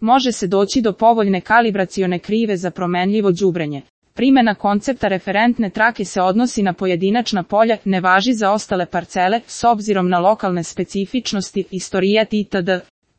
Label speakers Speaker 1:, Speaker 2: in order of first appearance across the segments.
Speaker 1: može se doći do povoljne kalibracione krive za promenljivo đubrenje. Primjena koncepta referentne trake se odnosi na pojedinačna polja, ne važi za ostale parcele, s obzirom na lokalne specifičnosti, istorijat itd.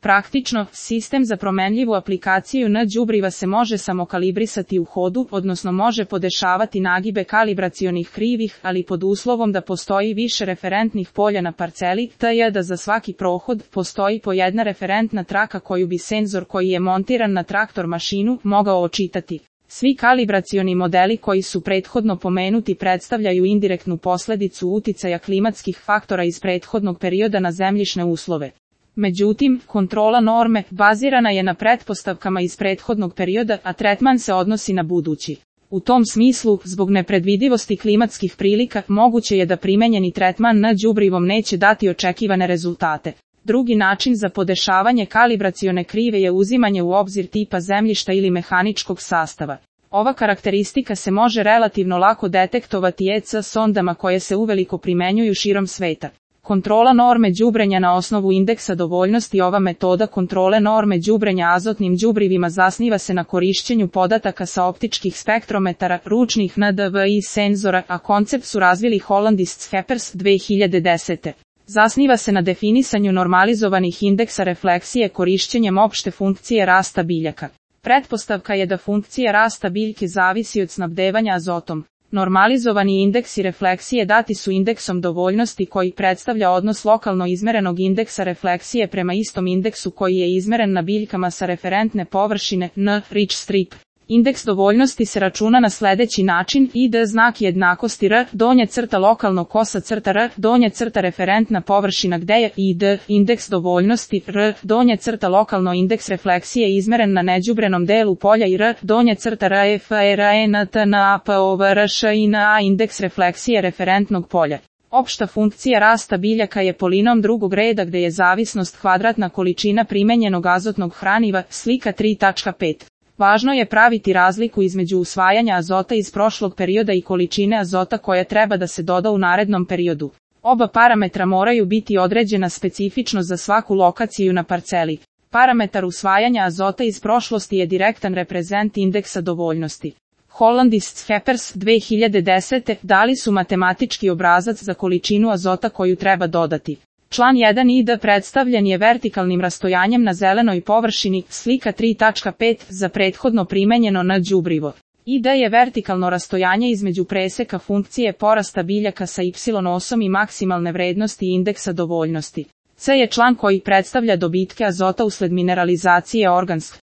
Speaker 1: Praktično, sistem za promenljivu aplikaciju na đubriva se može samokalibrisati u hodu, odnosno može podešavati nagibe kalibracionih krivih, ali pod uslovom da postoji više referentnih polja na parceli, t.j. da za svaki prohod postoji po jedna referentna traka koju bi senzor koji je montiran na traktor mašinu mogao očitati. Svi kalibracioni modeli koji su prethodno pomenuti predstavljaju indirektnu posljedicu uticaja klimatskih faktora iz prethodnog perioda na zemljišne uslove. Međutim, kontrola norme bazirana je na pretpostavkama iz prethodnog perioda, a tretman se odnosi na budući. U tom smislu, zbog nepredvidivosti klimatskih prilika, moguće je da primenjeni tretman na đubrivom neće dati očekivane rezultate. Drugi način za podešavanje kalibracione krive je uzimanje u obzir tipa zemljišta ili mehaničkog sastava. Ova karakteristika se može relativno lako detektovati EC sondama koje se uveliko primenjuju širom sveta. Kontrola norme đubrenja na osnovu indeksa dovoljnosti. Ova metoda kontrole norme đubrenja azotnim đubrivima zasniva se na korišćenju podataka sa optičkih spektrometara, ručnih NDVI senzora, a koncept su razvili Hollandist Scheppers 2010. Zasniva se na definisanju normalizovanih indeksa refleksije korišćenjem opšte funkcije rasta biljaka. Pretpostavka je da funkcija rasta biljke zavisi od snabdevanja azotom. Normalizovani indeksi refleksije dati su indeksom dovoljnosti koji predstavlja odnos lokalno izmerenog indeksa refleksije prema istom indeksu koji je izmeren na biljkama sa referentne površine N, Rich strip. Indeks dovoljnosti se računa na sljedeći način: ID znak jednakosti R, donja crta lokalno kosa crta R, donja crta referentna površina gde je ID, indeks dovoljnosti R, donja crta lokalno indeks refleksije izmeren na neđubrenom delu polja i R, donja crta RF, RNTNA, POVRŠ i NA, indeks refleksije referentnog polja. Opšta funkcija rasta biljaka je polinom drugog reda gde je zavisnost kvadratna količina primenjenog azotnog hraniva, slika 3.5. Važno je praviti razliku između usvajanja azota iz prošlog perioda i količine azota koja treba da se doda u narednom periodu. Oba parametra moraju biti određena specifično za svaku lokaciju na parceli. Parametar usvajanja azota iz prošlosti je direktan reprezent indeksa dovoljnosti. Hollandist Scheppers 2010. dali su matematički obrazac za količinu azota koju treba dodati. Član 1 ID predstavljen je vertikalnim rastojanjem na zelenoj površini, slika 3.5, za prethodno primenjeno na đubrivo. ID je vertikalno rastojanje između preseka funkcije porasta biljaka sa y osom i maksimalne vrednosti indeksa dovoljnosti. C je član koji predstavlja dobitke azota usled mineralizacije organskih